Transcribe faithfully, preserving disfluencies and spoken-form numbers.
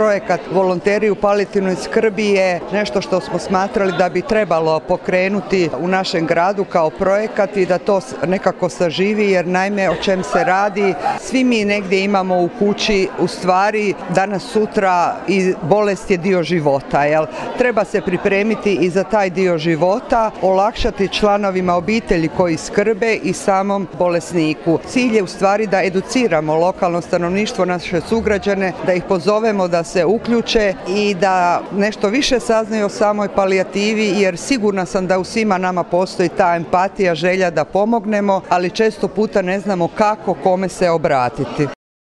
Projekat Volonteri u palijativnoj skrbi je nešto što smo smatrali da bi trebalo pokrenuti u našem gradu kao projekat i da to nekako saživi, jer naime o čem se radi, svi mi negdje imamo u kući u stvari danas sutra i bolest je dio života. Jel? Treba se pripremiti i za taj dio života, olakšati članovima obitelji koji skrbe i samom bolesniku. Cilj je u stvari da educiramo lokalno stanovništvo, naše sugrađane, da ih pozovemo da se uključe i da nešto više saznaju o samoj palijativi, jer sigurna sam da u svima nama postoji ta empatija, želja da pomognemo, ali često puta ne znamo kako, kome se obratiti.